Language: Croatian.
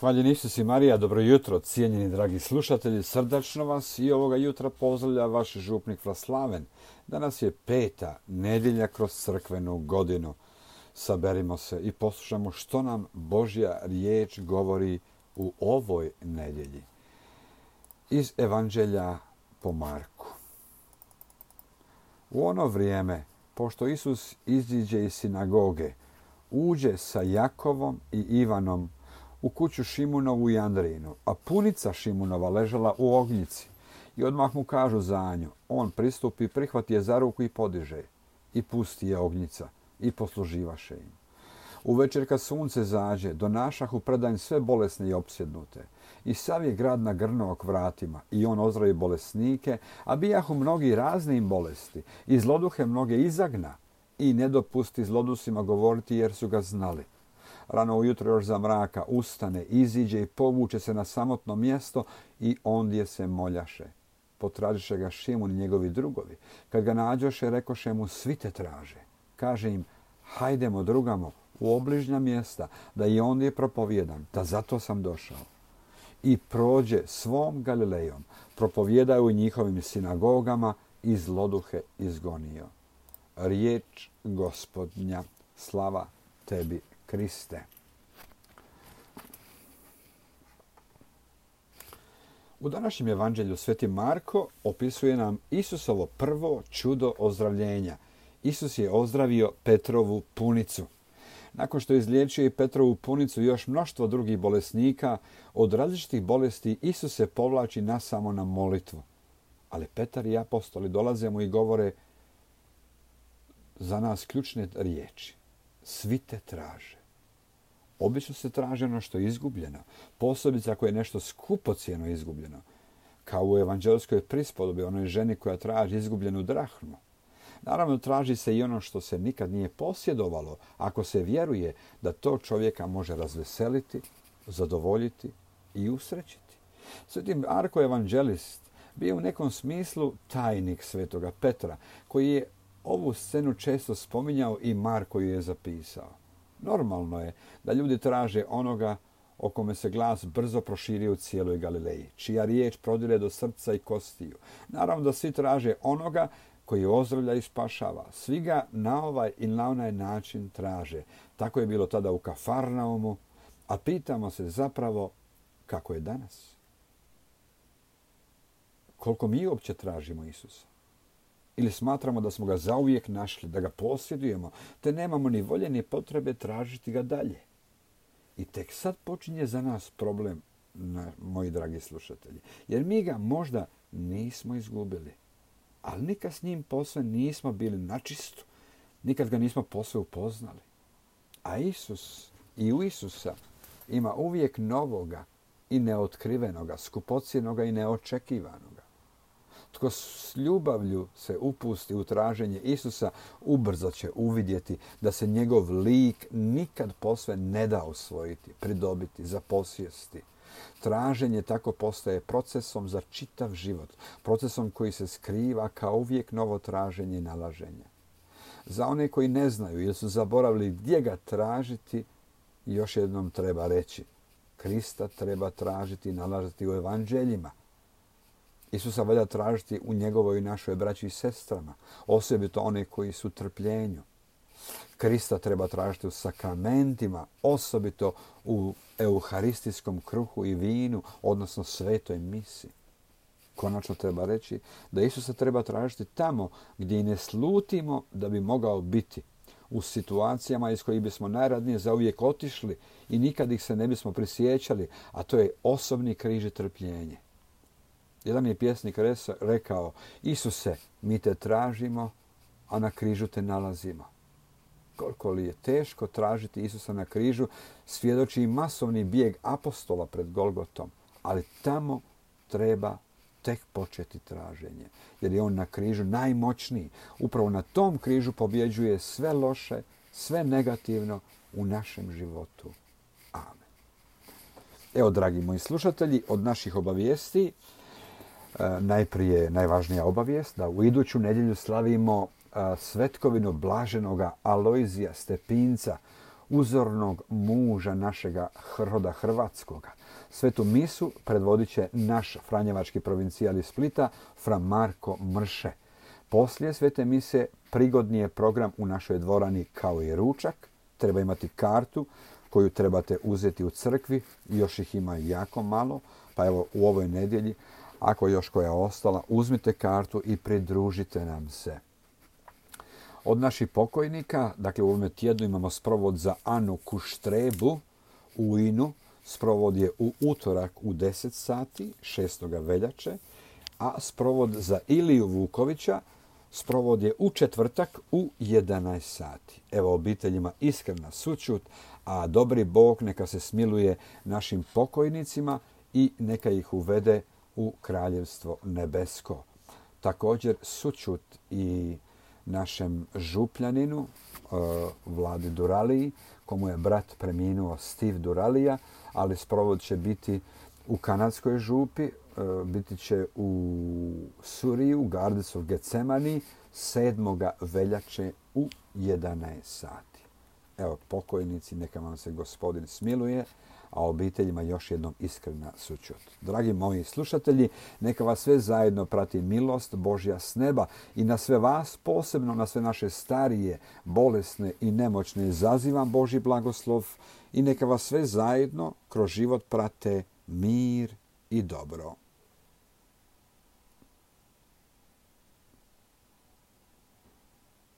Hvaljen Isus i Marija, dobro jutro, cijenjeni dragi slušatelji, srdačno vas i ovoga jutra pozdravlja vaš župnik Vlaslaven. Danas je 5. nedjelja kroz crkvenu godinu. Saberimo se i poslušamo što nam Božja riječ govori u ovoj nedjelji. Iz Evanđelja po Marku. U ono vrijeme, pošto Isus iziđe iz sinagoge, uđe sa Jakovom i Ivanom u kuću Šimunovu i Andrijinu, a punica Šimunova ležala u ognjici. I odmah mu kažu za nju. On pristupi, prihvati je za ruku i podiže. I pusti je ognjica i posluživaše im. Uvečer kad sunce zađe, donašahu pred njim sve bolesne i opsjednute. I sav je grad nagrnuo k vratima, i on ozdravi bolesnike, a bijahu mnogi raznim bolesti, i zloduhe mnoge izagna, i ne dopusti zlodusima govoriti jer su ga znali. Rano ujutro još za mraka ustane, iziđe i povuče se na samotno mjesto i ondje se moljaše. Potražiše ga Šimun i njegovi drugovi. Kad ga nađoše, rekoše mu, svi te traže. Kaže im, hajdemo drugamo u obližnja mjesta, da i ondje propovijedam, da zato sam došao. I prođe svom Galilejom, propovijedaju u njihovim sinagogama i zloduhe izgonio. Riječ Gospodnja, slava tebi, Kriste. U današnjem evanđelju Sveti Marko opisuje nam Isusovo prvo čudo ozdravljenja. Isus je ozdravio Petrovu punicu. Nakon što je izliječio i Petrovu punicu i još mnoštvo drugih bolesnika, od različitih bolesti Isus se povlači nasamo na molitvu. Ali Petar i apostoli dolaze mu i govore za nas ključne riječi. Svi te traže. Obično se traži ono što je izgubljeno, posebice ako je nešto skupocjeno izgubljeno, kao u evanđelskoj prispodobi onoj ženi koja traži izgubljenu drahmu. Naravno, traži se i ono što se nikad nije posjedovalo, ako se vjeruje da to čovjeka može razveseliti, zadovoljiti i usrećiti. Sveti Marko evanđelist bio u nekom smislu tajnik svetoga Petra, koji je ovu scenu često spominjao i Marko ju je zapisao. Normalno je da ljudi traže onoga o kome se glas brzo proširio u cijeloj Galileji, čija riječ prodire do srca i kostiju. Naravno da svi traže onoga koji ozdravlja i spašava. Svi ga na ovaj i na onaj način traže. Tako je bilo tada u Kafarnaumu, a pitamo se zapravo kako je danas. Koliko mi uopće tražimo Isusa? Ili smatramo da smo ga zauvijek našli, da ga posjedujemo, te nemamo ni volje ni potrebe tražiti ga dalje. I tek sad počinje za nas problem, moji dragi slušatelji. Jer mi ga možda nismo izgubili, ali nikad s njim posve nismo bili načistu, nikad ga nismo posve upoznali. A Isus i u Isusa ima uvijek novoga i neotkrivenoga, skupocjenoga i neočekivanoga. Tko s ljubavlju se upusti u traženje Isusa, ubrzo će uvidjeti da se njegov lik nikad posve ne da osvojiti, pridobiti, zaposjesti. Traženje tako postaje procesom za čitav život, procesom koji se skriva kao uvijek novo traženje i nalaženje. Za one koji ne znaju ili su zaboravili gdje ga tražiti, još jednom treba reći, Krista treba tražiti i nalaziti u evanđeljima. Isusa valja tražiti u njegovoj i našoj braći i sestrama, osobito one koji su u trpljenju. Krista treba tražiti u sakramentima, osobito u euharistijskom kruhu i vinu, odnosno svetoj misi. Konačno treba reći da Isusa treba tražiti tamo gdje i ne slutimo da bi mogao biti, u situacijama iz kojih bismo najradnije zauvijek otišli i nikad ih se ne bismo prisjećali, a to je osobni križ i trpljenje. Jedan je pjesnik rekao, Isuse, mi te tražimo, a na križu te nalazimo. Koliko li je teško tražiti Isusa na križu, svjedoči i masovni bijeg apostola pred Golgotom, ali tamo treba tek početi traženje, jer je on na križu najmoćniji. Upravo na tom križu pobjeđuje sve loše, sve negativno u našem životu. Amen. Evo, dragi moji slušatelji, od naših obavijesti, najprije najvažnija obavijest da u iduću nedjelju slavimo svetkovinu blaženoga Alojzija Stepinca uzornog muža našega roda hrvatskoga. Svetu misu predvodit će naš franjevački provincijal iz Splita, fra Marko Mrše. Poslije svete mise prigodni je program u našoj dvorani kao i ručak. Treba imati kartu koju trebate uzeti u crkvi. Još ih ima jako malo. Pa evo u ovoj nedjelji, ako još koja ostala, uzmite kartu i pridružite nam se. Od naših pokojnika, dakle u ovome tjednu imamo sprovod za Anu Kuštrebu u Inu. Sprovod je u utorak u 10 sati, 6. veljače, a sprovod za Iliju Vukovića, sprovod je u četvrtak u 11 sati. Evo obiteljima iskrena sućut, a dobri Bog neka se smiluje našim pokojnicima i neka ih uvede u kraljevstvo nebesko. Također sućut i našem župljaninu, Vladi Duraliji, komu je brat preminuo, Steve Duralija, ali sprovod će biti u kanadskoj župi, biti će u Suriju, Gardens of Getsemani, 7. veljače u 11 sati. Evo, pokojnici, neka vam se Gospodin smiluje, a obiteljima još jednom iskrena sućut. Dragi moji slušatelji, neka vas sve zajedno prati milost Božja s neba i na sve vas, posebno na sve naše starije, bolesne i nemoćne, zazivam Božji blagoslov i neka vas sve zajedno kroz život prate mir i dobro.